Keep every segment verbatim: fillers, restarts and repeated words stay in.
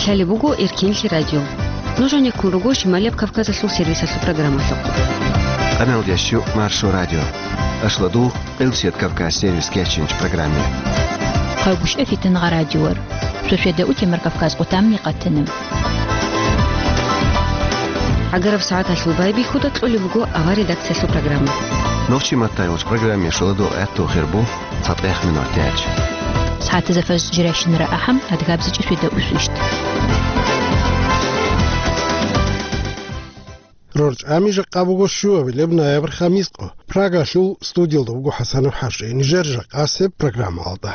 Лъалеб буго Эркенлъи радио. Нуж гьанеккун руго Шималияб Кавказалъул сервисалъул программалъухъ. Къаналдящу Маршо радио. Ашладул Къилчият Кавказ сервис кечинч программе. Хъагушев Фитнагъа радиор. Суседа утемар Кавказ къутамни къатана. Агараб сагӀаталъул байбихьуда кьолеб буго авар редакциялъул программа. Нохчи маттайгъуч программе шоладул гӀатту хирбу цатӀех минут тяч. СагӀатазда фаз жирайщинара ахӀам, адгабзичӀи суседа усвищт. РорчӀами жакъа буго щуабилеб ноябрь хамискъо. Прагалъул студиялда буго ХӀасанов ХӀажи. Нижер жакъасеб программалда.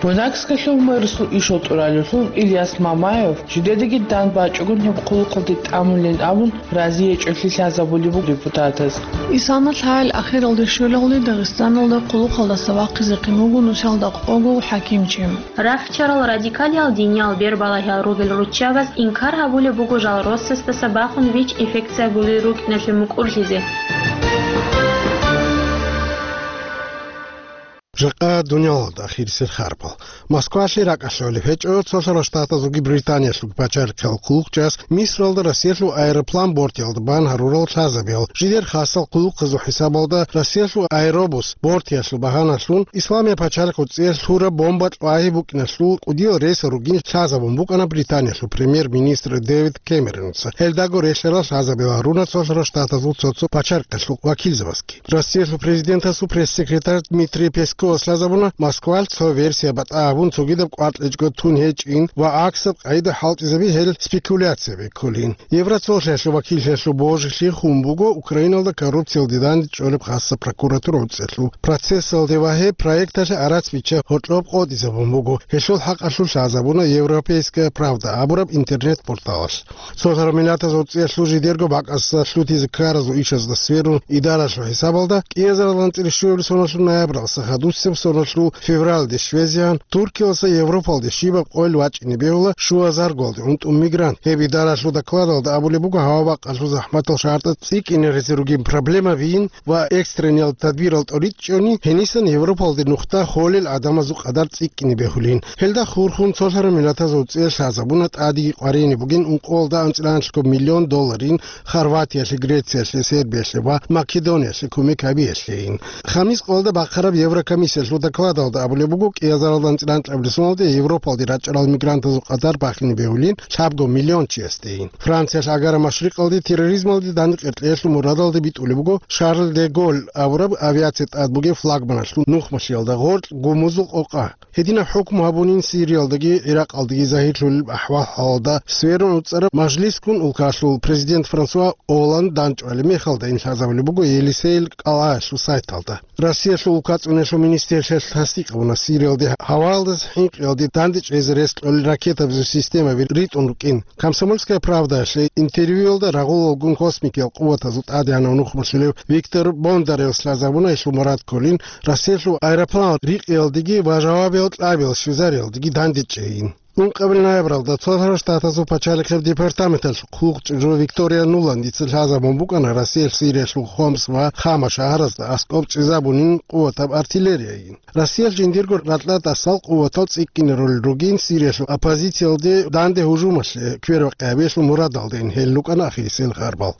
Бунагскалъул мэрсул ишал тӀуралевлъун Ильяс Мамаев жидедаги дан бачӀугун гьеб хъулухъалде тӀамулин абун, разиячӀолъи лъазабулеб буго депутатаз. Исана лъагӀел ахиралде щвелалде Дагъистаналда хъулухъалдаса вахъизехъин вуго нусалда къого хӀакимчи. Рахчарал радикалиял диниял бербалагьал ругел руччабаз инкар гьабулеб буго жал росасдаса бахун ВИЧ-инфекция гулел рукӀиналъе мукӀурлъизе. Жакъа дуниялалда ахирисел харбал. Москвалъе ракӀалъулеб гьечӀо цолъарал штатазулги Британиялъулги пачалихъал хъулухъчӀас Мисралда Россиялъул аэроплан бортиялда бан гьарурал лъазабиял. Жидер хасал хъулухъазул хӀисабалда Россиялъул аэробус бортиялъул багьаналъун Исламия пачалихъ цӀиялъ лъураб бомба кьвагьи букӀиналъул кӀудиял рейсал ругин лъазабун букӀана Британиялъул премьер-министр Дэвид Кэмероница. Гьелдаго релълъарал лъазабиял гьаруна цолъарал штатазул цо-цо пачалихъалъул вакилзабазги. Россиялъул президентасул пресс-секретарь Дмитрий Песковас лъазабуна Москвалъ цо версия батӀа гьабун, цогидаб кӀваркьичӀго тун гьечӀин ва гӀаксаб къайда хӀалтӀизаби гьел спекуляциябе кколин. Евроцолъиялъул вакиллъиялъул божилъи хун буго Украиналда коррупциялде дандчӀвалеб хасаб прокуратура гӀуцӀиялъул процессалде ва гьеб проекталъе арац бичча гьоркьоб къотӀизабун буго. Гьелъул хӀакъалъулъ лъазабуна Европейская правда абураб интернет-порталалъ. Цолъарал Миллатазул ГӀуцӀиялъул жидерго бакӀасда лъутизе ккаразул ишазда сверун идаралъул хӀисабалда, кӀиазарал анцӀила щуабилеб соналъул ноябралдаса хадусеб соналъул февралде щвезегӀан, Туркиялдаса Европалде щибаб къойил вачӀине бегьула щуазарго гӀунтӀун мигрант. Гьеб идаралъул докладалда абулеб буго гьава-бакъалъул захӀматал шартӀал цӀикӀкӀине гьезе ругин проблемабийин ва экстрениял тадбирал тӀоричӀони, гьенисан Европалде нухда холел гӀадамазул къадар цӀикӀкӀине бегьулин. Гьелда хурхун цолъарал Миллатазул ГӀуцӀиялъ лъазабуна тӀадеги къваригӀине бугин ункъоялда анцӀила анлъго миллион долларин Хорватиялъе, Грециялъе, Сербиялъе ва Македониялъе кумек гьабиялъейин. Хамис къоялда бахъараб Еврокомиссиялъул докладалда абулеб буго, кӀиазарал анцӀила анкьабилеб соналде Европалде рачӀарал мигрантазул къадар бахине бегьулин лъабго миллион чиясдейин. Франциялъ Агара Машрикъалде терроризмалде дандекъеркьеялъул мурадалде битӀулеб буго Шарль де Голль абураб авиация тӀад бугеб флагманалъул нухмалъиялда гъоркь гумузул къокъа. Гьединаб хӀукму гьабунин Сириялдаги ГӀиракъалдаги загьирлъулел ахӀвал-хӀалалда сверун гӀуцӀараб мажлисгун улкалъул президент Франсуа Олланд дандчӀвалеб мехалдайин лъазабулеб буго Елисейил кӀалгӀаялъул сайталда. Россиялъул улкацӀунелъул министрлъиялъ тасдикъ гьабуна Сириялде гьаваялдаса хӀинкъиялде дандечӀезе рес кьолел ракетабазул системаби ритӀун рукӀин. Комсомольская правдаялъе интервьюялда рагъулалгун космикиял къуватазул тӀадегӀанав нухмалъулев Виктор Бондаревас лъазабуна гьелъул мурад кколин Россиялъул аэропланал рикъиялдеги ва жавабиял кьабиял щвезариялдеги дандечӀейин. Ункъабил ноябралда Цолъарал Штатазул пачалихъеб департаменталъ хъулухъчӀужу Виктория Нуландица лъазабун букӀана Россиялъ Сириялъул Хомс ва Хама шагьаразда аскӀоб чӀезабунин къуватаб артиллерияйин. Россиялъ жиндирго ракьа тӀасал къуватал цӀикӀкӀине ролел ругин Сириялъул оппозициялде данде гьужумалъе квербакъи гьабиялъул мурадалдайин гьел рукӀана ахирисел харбал.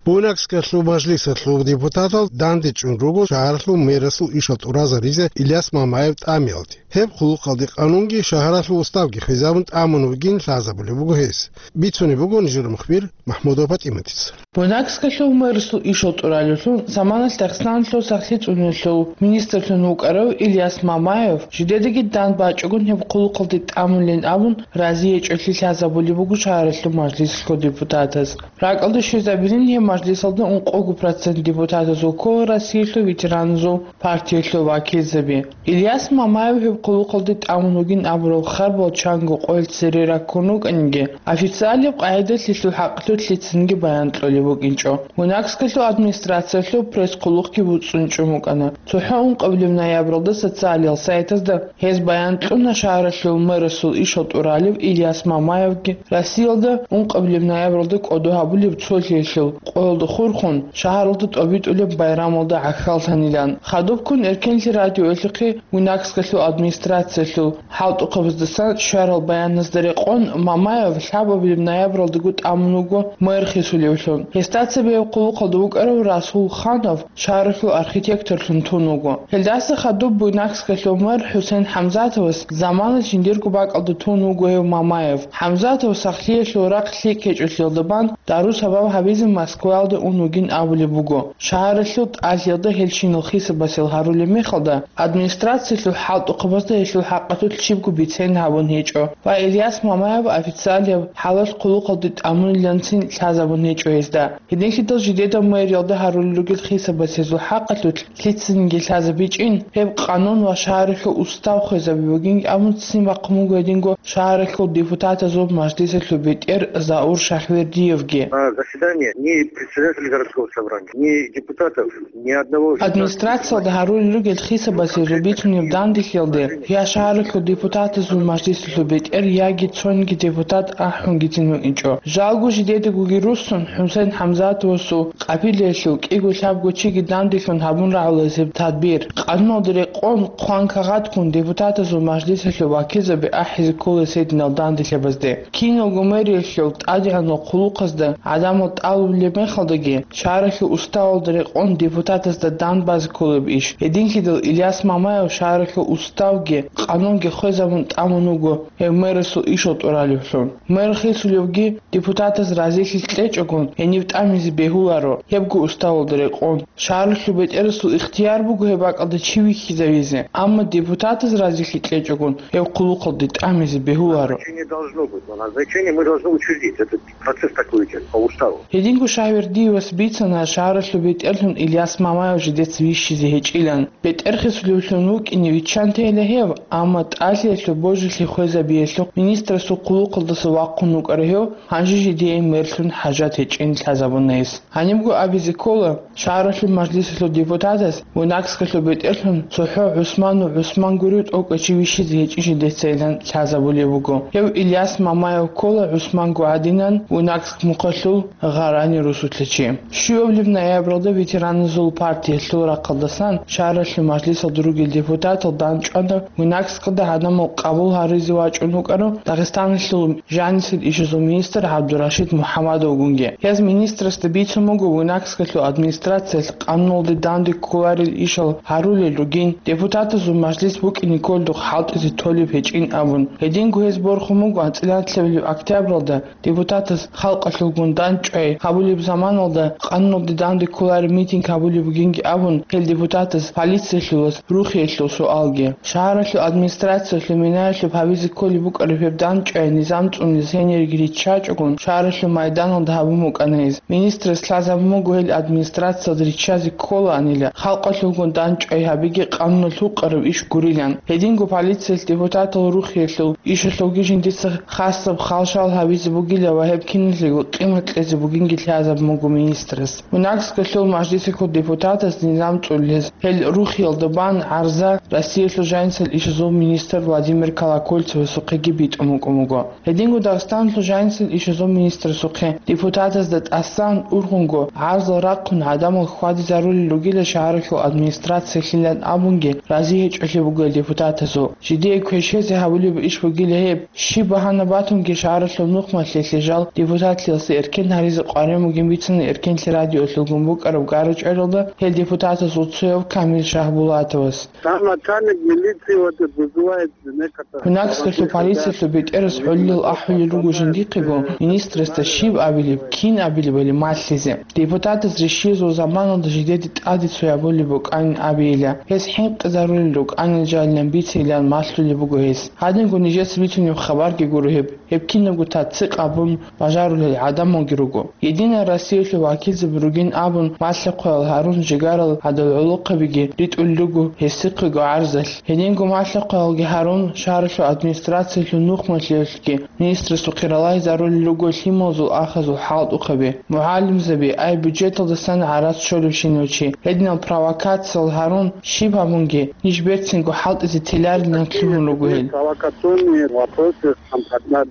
Бунагскалъул мажлисалъул депутатал дандечӀун руго шагьаралъул мэрасул ишал тӀуразаризе Ильяс Мамаев тӀамиялде. Гьеб хъулухъалде къанунги шагьаралъул уставги хвезабун тӀамун вугин лъазабулеб буго гьес. Бицунеб буго нижер мухбир МахӀмудова ПатӀиматица. Бунагскалъул мэрасул ишал тӀуралевлъун заманалъ Дагъистаналъул сахлъи цӀунулъул министрлъун вукӀарав Ильяс Мамаев жидедаги дандбачӀогун гьеб хъулухъалде тӀамулин абун, разиячӀолъи лъазабулеб буго шагьаралъул мажлисалъул депутатаз. РакӀалде щвезабилин гьеб мажлисалда ункъого процент депутатазул ккола Россиялъул ветераназул партиялъул вакилзаби. Ильяс Мамаев гьеб хъулухъалде тӀамун вугин абурал харбал чанго къоялъ цере раккун рукӀаниги, официалияб къагӀидалъ гьелъул хӀакъалъулъ лъицанги баян кьолеб букӀинчӀо. Бунагскалъул администрациялъул пресс-хъулухъги буцӀцӀунчӀун букӀана. ЦохӀо ункъабилеб ноябралда социалиял сайтазда гьез баян кьуна шагьаралъул мэрасул ишал тӀуралев Ильяс Мамаевги Россиялда ункъабилеб ноябралда кӀодо гьабулеб цолъиялъул гӀолда хурхун, шагьаралда тӀобитӀулеб байрамалда гӀахьаллъанилан. Хадубккун Эркенлъи радиоялъухъе Буйнакскалъул администрациялъул хӀалтӀухъабаздасан щварал баяназда рекъон, Мамаев лъабабилеб ноябралдаго тӀамун вуго мэр хисулевлъун. Гьесда цебе гьеб хъулухъалда вукӀарав Расул Ханов шагьаралъул архитекторлъун тун вуго. Гьелдаса хадуб Буйнакскалъул мэр ХӀусен ХӀамзатовас замана жиндирго бакӀалда тун вуго гьев Мамаев. ХӀамзатов сахлъиялъул рахъ лъикӀ гьечӀолъиялда бан дару-сабаб гьабизе Москваялда ун вугин абулеб буго. Шагьаралъул тӀалъиялда гьелщинал хисабасел гьарулеб мехалда, администрациялъул хӀалтӀухъабазда гьелъул хӀакъалъулъ щибго бицен гьабун гьечӀо ва Ильяс Мамаев официалияб хӀалалъ хъулухъалде тӀамуниланцин лъазабун гьечӀо гьезда. Гьединлъидал жидеда мэриялда гьарулел ругел хисабас гьезул хӀакъалъулъ лъицаниги лъазабичӀин, гьеб къанун ва шагьаралъул устав хвезаби бугин абун ццин бахъун буго гьединго шагьаралъул депутатазул мажлисалъул бетӀер Заур Шагьвердиевги. А, заседание ни председателя городского собрания, ни депутатов, ни одного из... Администрациялда гьарулел ругел хисабас гьезул бицунеб данделъиялде я шагьаралъул депутатазул мажлисалъул бетӀер, яги цониги депутат ахӀунгицин гьуинчӀо. Жалго жидедагоги руссун, ХӀусен ХӀамзатовасул къабилаялъул кӀиго-лъабго чиги данделъун гьабун рагӀулазе тадбир. Къануналда рекъон, хъван-кагъат ккун депутатазул мажлисалъул вакилзаби ахӀизе кколес гьединал данделъабазде. Киналго мэриялъул тӀадегӀанал хъулухъазда гӀадамал тӀалулеб мехалдаги, шагьаралъул уставалда рекъон депутатазда дан базе кколеб иш. Гьединлъидал Ильяс Мамаев шагьаралъул уставги къанунги хвезабун тӀамун вуго гьев мэрасул ишал тӀуралевлъун. Мэр хисулевги депутатаз разилъи кьечӀогун гьенив тӀамизе бегьуларо, гьебго уставалда рекъон. Шагьаралъул бетӀерасул ихтияр буго гьеб бакӀалда чи вихьизавизе, амма депутатаз разилъи кьечӀогун гьев хъулухъалде тӀамизе бегьуларо. Назначение должно быть, но назначение мы должны учредить. Это процесс такой идёт по уставу. Гьединго Шагьвердиевас бицана шагьаралъул бетӀерлъун Ильяс Мамаев жидеца вищизе гьечӀилан. БетӀер хисулевлъун вукӀине виччан тейила гьев, амма тӀалъиялъул божилъи хвезабиялъухъ министрасул хъулухъалдаса вахъун вукӀарав гьев гьанже жидее мерлъун хӀажат гьечӀин лъазабуна гьес. Гьанибго абизе ккола, шагьаралъул мажлисалъул депутатас Буйнакскалъул бетӀерлъун цохӀо ГӀусманов ГӀусман гурев тӀокӀав чи вищизе гьечӀин жидецайилан лъазабулеб буго. Гьев Ильяс Мамаев ккола ГӀусманго гӀадинан Буйнакск мухъалъул Гъарани русулъа чи. Щуабилеб ноябралда ветераназул партиялъул рахъалдасан шагьаралъул мажлисалда ругел депутатал дандчӀвана Буйнакскалда гӀадамал къабул гьаризе вачӀун вукӀарав Дагъистаналъул жанисел ишазул министр ГӀабдурашид МухӀаммадовгунги. Гьез министрасда бицун буго Буйнакскалъул администрациялъ къануналде данде кколарел ишал гьарулел ругин, депутатазул мажлис букӀине кколдухъ хӀалтӀизе толеб гьечӀин абун. Гьединго гьез борхун буго анцӀила нилъабилеб октябралда депутатаз халкъалъулгун дандчӀвай гьабулеб заманалда къануналде данде кколареб митинг гьабулеб бугинги абун, гьел депутатаз полициялъулас рухиялъул суалги. Шагьаралъул администрациялъул минаялъуб гьабизе кколеб букӀараб гьеб дандчӀвай низам цӀунизе гьениреги риччачӀогун, шагьаралъул майданалда гьабун букӀана гьез. Министрас лъазабун буго гьел администрациялда риччазе кколаанила, халкъалъулгун дандчӀвай гьабиги къануналъ гьукъараб иш гурилан. Гьединго полициялъ депутатал рухиялъул ишалъулги жиндица хасаб халшал гьабизе бугила ва гьеб киналъего къимат кьезе бугинги лъазабун буго министрас. Буйнакскалъул мажлисалъул депутатас низам цӀулез гьел рухиялда бан гӀарза Россиялъул жанисел ишазул министр Владимир Колокольцевасухъеги битӀун букӀун буго. Гьединго Дагъистаналъул жанисел ишазул министрасухъе депутатазда тӀасан ургъунго гӀарзал рахъун гӀадамал хьвадизарулел ругила шагьаралъул администрациялъилан абунги рази гьечӀолъи буго гьел депутатазул. Жидее квешезе гьабулеб иш бугила гьеб. Щиб багьана батунги шагьаралъул нухмалъе лъежал депутатлъиялъе эркен гьаризе къваригӀун бугин бицана Эркенлъи радиоялъулгун букӀараб гара-чӀваралда гьел депутатазул цояв Камил Шагьбулатовас. Там начальник милиции вот вызывает некоторых... Буйнакскалъул полициялъул бетӀерас гьоллил ахӀулел руго жиндихъего, министрасда щиб абилеб, кин абилебали малъизе. Депутатаз рищиязул заманалда жидеде тӀаде цо гьабулеб букӀанин абейила, гьес хӀинкъизарулел рукӀанин жалилан бицейилан малъулеб буго гьес. Гьадинго нижеца бицунеб хабарги гуро гьеб, гьеб кинабго таццикъ абун бажарулел гӀадамалги руго. Единая Россиялъул вакилзаби ругин абун, малъа-хъваял гьарун жигарал гӀадал гӀолохъабиги ритӀулел руго гьесихъего гӀарзалъ. Гьединго малъа-хъваялги гьарун, шагьаралъул администрациялъул нухмалъиялъги министрасухъе ралагьизарулел руго лъималазул ахазул хӀалтӀухъаби, мугӀалимзаби, ай бюджеталдасан гӀарац щолебщинав чи. Гьединал провокациял гьарун, щиб гьабунги, ниж берцинго хӀалтӀизе теларилан лъугьун руго гьел. Провокационные вопросы.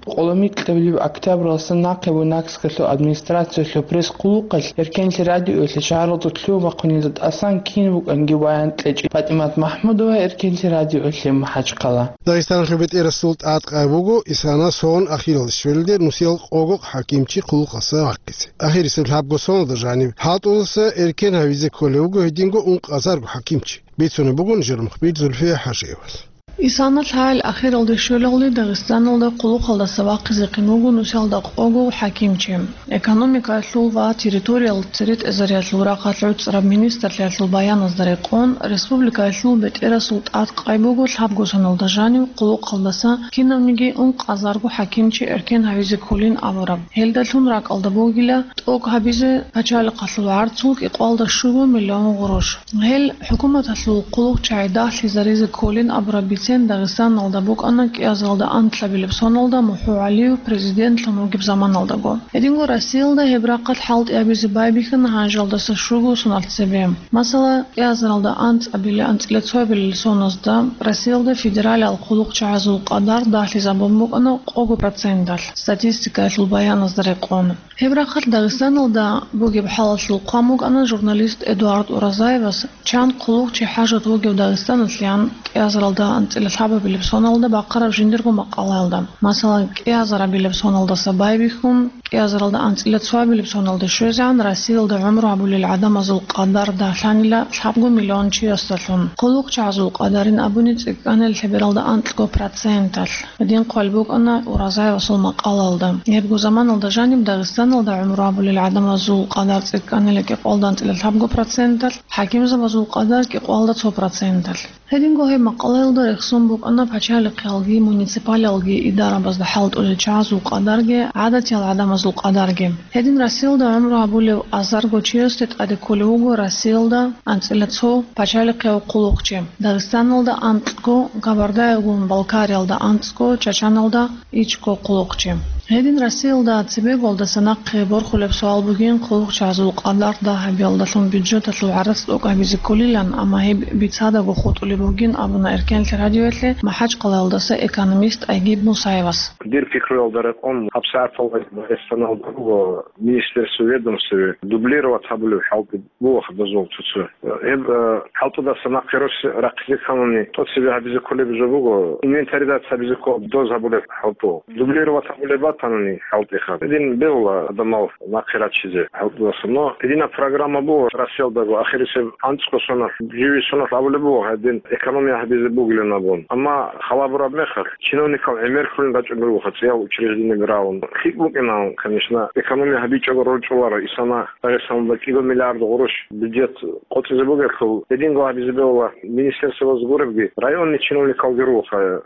Къоло микьабилеб октябралдасан нахъе Буйнакскалъул администрациялъул Гьес хъулухъалъ Эркенлъи радиоялъе шагьаралда лъугьа-бахъунелда тӀасан кин букӀанги баян кьечӀеб. ПатӀимат МахӀмудова, Эркенлъи радиоялъе, МахӀачхъала. Дагъистаналъул бетӀерасул тӀадкъай буго исана сон ахиралде щвелде нусиял къого хӀакимчи хъулухъалдаса вахъизе. Ахирисеб лъабго соналда жаниб хӀалтӀудаса эркен гьавизе кколев вуго гьединго ункъазарго хӀакимчи. Бицунеб буго нижер мухбир Зульфия ХӀажиевас. Исана лъагӀел ахиралде щвелалде Дагъистаналда хъулухъалдаса вахъизе кин вуго нусиялда къого хӀакимчи. Экономикаялъул ва территориял церетӀезариялъул рахъалъ гӀуцӀараб министрлъиялъул баяназда рекъон, республикаялъул бетӀерасул тӀадкъай буго лъабго соналда жанив хъулухъалдаса кинавниги ункъазарго хӀакимчи эркен гьавизе кколин абураб. Гьелдалъун ракӀалда бугила тӀокӀ гьабизе пачалихъалъул гӀарцул кӀикъоялда щуго миллион гъурущ. Гьел хӀукуматалъул хъулухъчагӀи дагьлъизаризе кколин абураб бицен Дагъистаналда букӀана кӀиазаралда анкьабилеб соналда МухӀу ГӀалиев президентлъун вугеб заманалдаго. Гьединго Россиялда гьеб рахъалъ хӀалтӀи гьабизе байбихьана гьанжалдаса щуго соналъ цебе. Масала, кӀиазаралда анцӀабили анцӀила цоабилел соназда Россиялда федералиал хъулухъчагӀазул къадар дагьлъизабун букӀана къого проценталъ, статистикаялъул баяназда рекъон. Гьеб рахъалъ Дагъистаналда бугеб хӀалалъул хъван букӀана журналист Эдуард Уразаевас, чан хъулухъчи хӀажат вугев Дагъистаналъеян кӀиазаралда анцӀила лъабабилеб соналда бахъараб жиндирго макъалаялда. Масалан, кӀиазарабилеб соналдаса байбихьун, кӀиазаралда анцӀила цоабилеб соналде щвезегӀан Россиялда гӀумру гьабулел гӀадамазул къадар дагьлъанила лъабго миллион чиясдалъун. ХъулухъчагӀазул къадарин абуни цӀикӀкӀанила лъебералда анкьго проценталъ. Гьедин хъван букӀана Уразаевасул макъалаялда. Гьебго заманалда жаниб Дагъистаналда гӀумру гьабулел гӀадамазул къадар цӀикӀкӀанила кӀикъоялда анцӀила лъабго проценталъ, хӀакимзабазул къадар кӀикъоялда цо проценталъ. Гьединго гьеб макъалаялда рехсон букӀана пачалихъиялги муниципалиялги идарабазда хӀалтӀулел чагӀазул къадарги гӀадатиял гӀадамазул къадарги. Гьедин Россиялда гӀумру гьабулев азарго чиясде тӀаде кколев вуго Россиялда анцӀила цо пачалихъияв хъулухъчи, Дагъистаналда анкьго, Кабардаягун-Балкариялда анцӀго, Чачаналда ичӀго хъулухъчи. Гьедин Россиялда цебеголдаса нахъе борхулеб суал бугин, хъулухъчагӀазул къадар дагь гьабиялдалъун бюджеталъул гӀарац тӀокӀ гьабизе кколилан, амма гьеб бицадаго хутӀулеб бугин абуна Эркенлъи радиоялъе МахӀачхъалаялдаса экономист Айгиб Мусаевас. Дир пикруялда рекъон, гьабсагӀаталда Дагъистаналда буго министерство, ведомство дублировать гьабулеб хӀалтӀи буго гьадазул цо-цо. Гьеб, э, хӀалтӀудаса нахъе рос рахъизе кканани, тӀоцебе гьабизе кколеб жо буго, инвентаризация гьабизе ккола доз гьабулеб хӀалтӀу. Дублировать гьабулеб батани хӀалтӀиха. Гьедин бегьула гӀадамал нахъе рачизе хӀалтӀудаса. Но гьединаб программа буго Россиялдаго, ахирисеб анцӀго соналъ, живи соналъ абулеб буго, гьедин экономия гьабизе бугилан абун. Амма халабураб мехалъ, чиновникал гӀемер хьулин рачӀун ругоха цӀиял учреждениеги рагӀун. ЛъикӀ букӀинан, конечно, экономия гьабичӀого рорчӀуларо, исана Дагъистаналда кӀиго миллиард гъурущ бюджет къотӀизе бугелъул, гьединго гьабизе бегьула министерствоялъ гуребги, районный чиновникалги ругоха,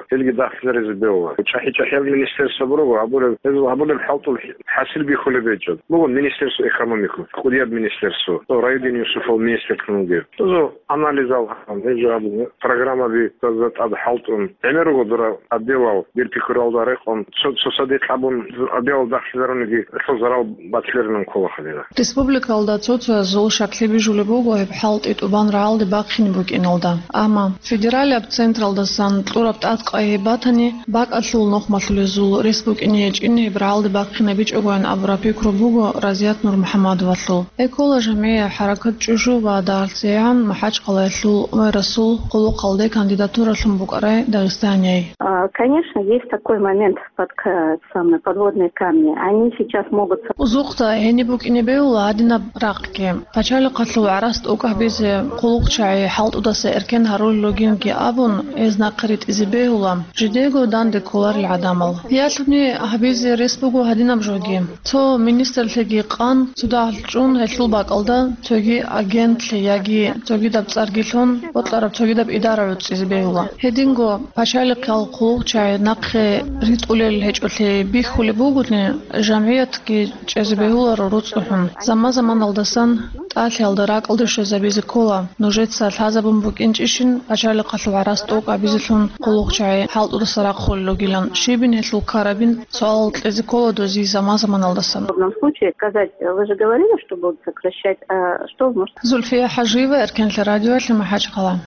гьелги дагьлъизаризе бегьула. ЧӀахӀи-чӀахӀиял министерство буруго, гьабулеб, гьезул гьабулеб хӀалтӀул хӀасил бихьулеб гьечӀо. Буго министерство экономики, кӀудияб министерство, то Райдин Юсуфал министрлъун вугев. Тозо анализал гьабун, гьеб жо гьабун, программаби таза тӀад хӀалтӀун. ГӀемер руго дора отделал, дир пикруялда рекъон, цо, цо садикь абун отделал дагьлъизаруниги, гьелъул зарал батиларинан ккола гьадина. Республикалда цо-цоязул щаклъи бижулеб буго гьеб хӀалтӀи тӀубан рагӀалде бахъине букӀиналда. Амма федералияб централдасан кьураб тӀадкъай гьеб батани, бакӀалъул нухмалъулезул рес букӀине гьечӀин гьеб рагӀалде бахъинабичӀогоян абураб пикру буго Разият Нурмухьаммадовалъул. Экола жамгӀия хӀаракат ЧӀужу ва дагьалъцейгӀан МахӀачхъалаялъул мэрасул хъулухъалде кандидатуралъун букӀарай Дагъистанияй. А, конечно, есть такой момент, под, к-, самые подводные камни. Они сейчас могут... Узухъда гьениб букӀине бегьула гьадинаб рахъги. Пачалихъалъул гӀарац тӀокӀ гьабизе хъулухъчагӀи хӀалтӀудаса эркен гьарулел ругинги абун, гьез нахъе ритӀизе бегьула, жидего данде кколарел гӀадамал. Ялъуни гьабизе рес буго гьадинаб жоги. Цо министрлъиги къан, цо дагьлъун гьелъул бакӀалда цоги агентлъи яги цогидаб цӀарги лъун, бокьараб цогидаб идара гӀуцӀизе бегьула. Гьединго пачалихъал хъулухъчагӀи нахъе ритӀулел гьечӀолъи бихьулеб бугони, жамгӀиятги чӀезе бегьуларо руцӀцӀухӀун. Заман-заманалдасан тӀалъиялда ракӀалде щвезабизе ккола, нужеца лъазабун букӀинчӀищин пачалихъалъул гӀарац тӀокӀ гьабизелъун хъулухъчагӀи хӀалтӀудаса рахъулел ругилан, щибин гьелъул ккарабин суалал кьезе ккола доз заман-заманалдасан. В подобном случае сказать, вы же говорили, что будут сокращать, а что может... Зульфия ХӀажиева, Эркенлъи радиоялъе, МахӀачхъала.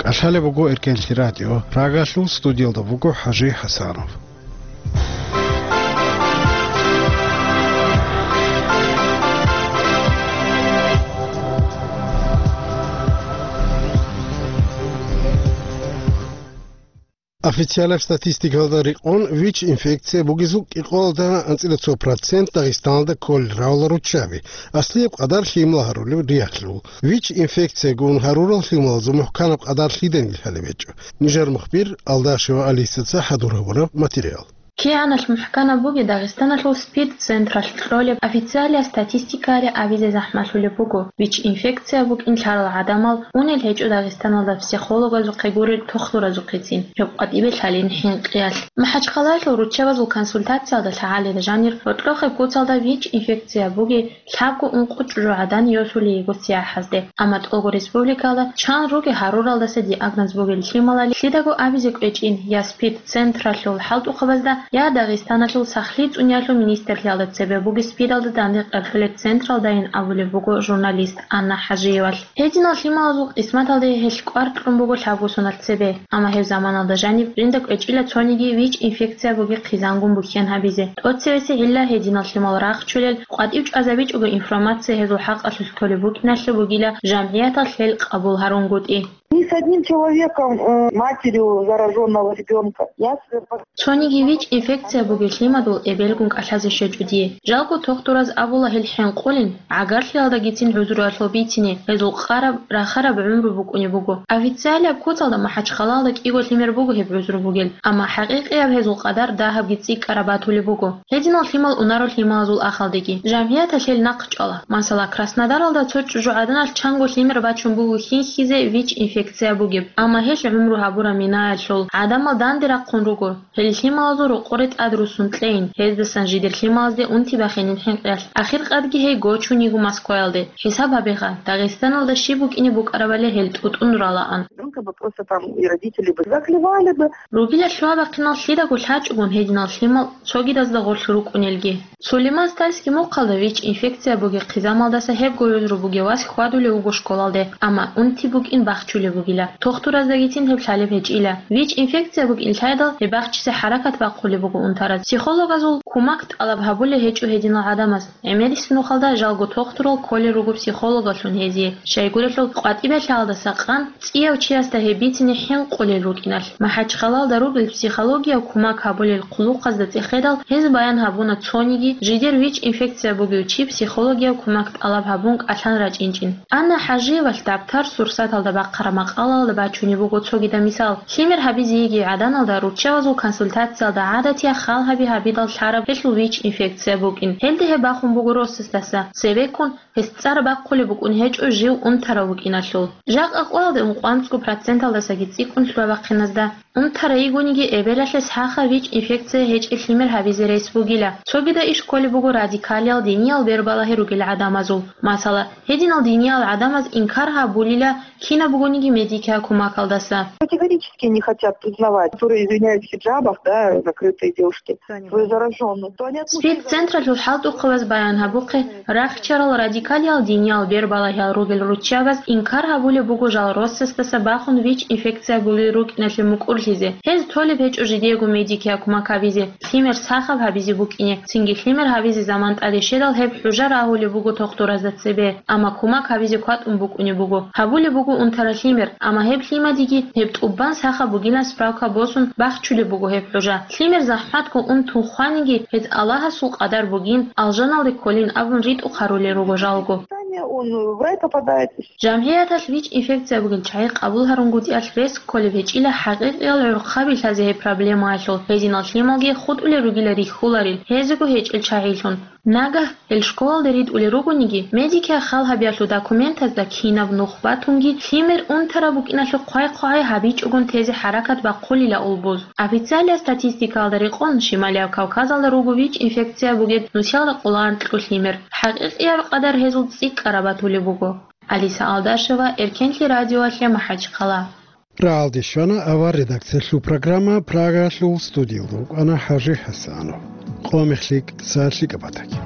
Лъалеб буго Эркенлъи радио, Прагалъул студиялда буго ХӀажи ХӀасанов. Официалаб статистикалда рекъон, ВИЧ-инфекция бугезул кӀикъоялда анцӀила цо процент Дагъистаналда кколел равала руччаби, аслияб къадар лъимал гьарулеб рияхълъул. ВИЧ-инфекция гун гьарурал лъималазул мухӀканаб къадар лъиданил лъалеб гьечӀо. Нижер мухбир Алдашева Алисаца хӀадур гьабураб материал. КигӀаналъ мухӀканаб бугеб Дагъистаналъул СПИД-централъ кьолеб официалияб статистикаялъе абизе захӀмалъулеб буго, ВИЧ-инфекция букӀин лъарал гӀадамал унел гьечӀо Дагъистаналда психологазухъе гурел тохлуразухъецин, гьеб къватӀибе лъалин хӀинкъиялъ. МахӀачхъалаялъул руччабазул консультациялда лъагӀалида жанир гьоркьохъеб куцалда ВИЧ-инфекция бугеб лъабго-ункъо чӀужугӀадан йосулей йиго сияхӀазде, амма тӀолго республикалда чан ругел гьаруралдаса диагноз бугел лъималали лъидаго абизе кӀвечӀин я СПИД-централъул хӀалтӀухъабазда, я Дагъистаналъул сахлъи цӀуниялъул министрлъиялда цебе бугеб СПИДалда данде къерхьулеб централдайин абулеб буго журналист Анна ХӀажиевалъ. Гьединал лъималазул къисматалде гьелъ кӀвар кьун буго лъабго соналъ цебе, амма гьеб заманалда жаниб жинда кӀвечӀила цониги ВИЧ-инфекция бугеб хъизангун бухьен гьабизе. ТӀоцевесеб гӀилла гьединал лъимал рахчулел, къватӀив чӀвазабичӀого информация гьезул хӀакъалъулъ кколеб букӀиналъе бугила жамгӀияталъ гьел къабул гьарун гутӀи. Ни с одним человеком, э, матерью заражённого ребёнка. Я с- Цониги ВИЧ-инфекция бугеб лъимадул эбелгун кӀалъазе щвечӀо дие. Жалго тохтураз абула гьел хӀинкъулин, гӀагарлъиялдагицин гӀузруялъул бицине, гьезул къараб, рахараб гӀумру букӀунеб буго. Официалияб куцалда МахӀачхъалаялда кӀиго лъимер буго гьеб гӀузру бугел, амма хӀакъикъияб гьезул къадар дагьабги цӀикӀкӀараб батулеб буго. Гьединал лъимал унаро лъималазул ахалдеги. ЖамгӀияталъ гьел нахъчӀвала. Масала, Краснодаралда цо чӀужугӀаданалъ чанго лъимер бачун буго хьинхьизе ВИЧ-инфекция бугеб, амма гьелъ гӀумру гьабураб минаялъул гӀадамал данде рахъун руго. Гьел лъималазул рокъоре тӀад руссун кьейин, гьездасан жидер лъималазде унти бахинин хӀинкъиялъ. Ахиркъадги гьей гочун йиго Москваялде. ХӀисаб гьабеха, Дагъистаналда щиб букӀине букӀарабали гьел тӀутӀун ралаан. Ребёнка бы просто там и родители бы заклевали бы. Ругила лъугьа-бахъинал лъидаго лъачӀогун гьединал лъимал цогидазда гъорлъ рукӀунелги. Сулейман-Стальский мухъалда ВИЧ-инфекция бугеб хъизамалдаса гьебго гӀузру бугев вас хьвадулев вуго школалде, амма унти букӀин бахчулеб бугила. Тохтураздагицин гьеб лъалеб гьечӀила. ВИЧ-инфекция букӀин лъайдал, гьеб бахчизе хӀаракат бахъулеб буго унтараз. Психологазул кумак тӀалаб гьабулеб гьечӀо гьединал гӀадамаз. ГӀемерисеб нухалда жалго тохтурал кколел руго психологалъун гьезие, щайгурелъул къватӀибе лъалдаса къан цӀияв чиясда гьеб бицине хӀинкъулел рукӀиналъ. МахӀачхъалаялда ругел психологияв кумак гьабулел хъулухъазда цӀехедал, гьез баян гьабуна цониги жидер ВИЧ-инфекция бугев чи психологияв кумак тӀалаб гьабун кӀалъан рачӀинчӀин. Анна ХӀажиевалъ дабтар-сурсаталда бахъараб макъалаялда бачунеб буго цогидаб мисал. Лъимер гьабизе йигей гӀаданалда руччабазул консультациялда гӀадатияб хал гьаби гьабидал лъараб гьелъул ВИЧ-инфекция букӀин. Гьелде гьеб бахун буго росасдаса, цебеккун гьес цӀар бахъулеб букӀун гьечӀо жив унтарав вукӀиналъул. Жакъа къоялде ункъоанцӀго проценталдасаги цӀикӀкӀун лъугьа-бахъиназда унтарай йигониги, эбелалъе сахаб ВИЧ-инфекция гьечӀеб лъимер гьабизе рес бугила. Цогидаб иш кколеб буго радикалиял диниял бербалагьи ругел гӀадамазул. Масала, гьединал диниял гӀадамаз инкар гьабулила кинаб бугониги медикиял кумакалдаса. Категорически не хотят признавать, которые извиняются в хиджабах, да, закрытые девушки, свою заражённость. То они от мужчин СПИД-централъул хӀалтӀухъабаз баян гьабухъе, рахчарал радикалиял диниял бербалагьиял ругел руччабаз инкар гьабулеб буго жал росасдаса бахун ВИЧ-инфекция бугел рукӀиналъе мукӀурлъизе. Гьез толеб гьечӀо жидеего медикиял кумак гьабизе, лъимер сахаб гьабизе букӀине, цинги лъимер гьабизе заман тӀаде щведал гьеб хӀужа рагьулеб буго тохтуразда цебе, амма кумак гьабизе кватӀун букӀунеб буго. Гьабулеб буго унтараб лъимер, амма гьеб лъимадиги гьеб тӀубан сахаб бугилан справка босун бахчулеб буго гьеб хӀужа. Лъимер захӀматго унтун хваниги, гьез Аллагьасул къадар бугин, алжаналде кколин абун ритӀухъ гьарулел руго жалго. Он в рай попадает. ЖамгӀияталъ ВИЧ-инфекция бугел чагӀи къабул гьарунгутӀиялъ рес кколеб гьечӀила хӀакъикъиял гӀурхъаби лъазе гьеб проблемаялъул, гьединал лъималги хутӀулел ругила рихьуларел, гьезего гьечӀел чагӀилъун. Нагагь гьел школалде ритӀулел ругониги, медикиял хал гьабиялъул документазда кинаб нух батунги, лъимер унтараб букӀиналъухъ хъвай-хъвай гьабичӀогун тезе хӀаракат бахъулила улбуз. Официалияб статистикаялда рекъон, Шималияб Кавказалда руго ВИЧ-инфекция бугеб нусиялда къоло анкьго лъимер. ХӀакъикъияб къадар гьезул цӀикӀкӀараб батулеб буго. Алиса Алдашева, Эркенлъи радиоялъе МахӀачхъала. Рагьалде щвана авар редакциялъул программа, Прагалъул студиялда вукӀана ХӀажи ХӀасанов. Къо-мех лъикӀ, сагӀат лъикӀаб батаги.